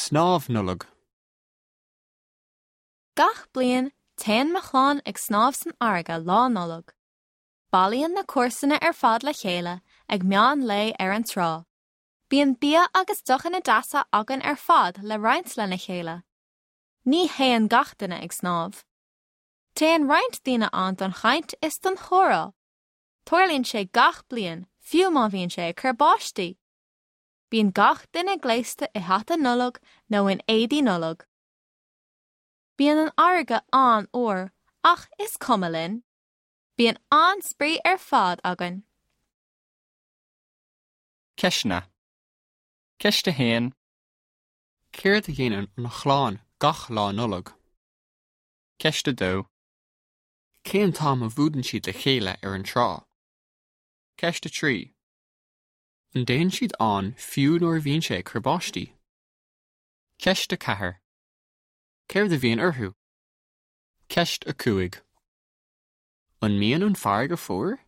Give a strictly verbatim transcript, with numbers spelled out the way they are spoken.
Snámh Nollag. Gach bliain téann mo chlann ag snámh san fharraige lá Nollag. Bailíonn na comharsana ar fad le chéile ag meán lae ar an trá. Bíonn bia agus deochanna deasa againn ar fad le roinnt lena chéile. Ní théann gach duine ag snámh. Téann roinnt daoine ann don chaint is don chomhrá. Tarlaíonn sé gach bliain fiú má bhíonn sé ag cur báistí. Bíonn gach duine gléasta i hata Nollag nó in éadaí Nollag. Bíonn an fharraige an-fhuar ach is cuma linn. Bíonn an-spraoi ar fad againn. Ceisteanna. Ceist a haon. Céard a dhéanann an chlann gach lá Nollag. Ceist a dó. Cén t-am a bhuaileann siad le chéile ar an trá. Ceist a trí. An dtéann siad ann fiú nuair a bhíonn sé ag cur báistí. Ceist a ceathair. Céard a bhíonn orthu? Ceist a cúig. An mbíonn an fharraige fuar?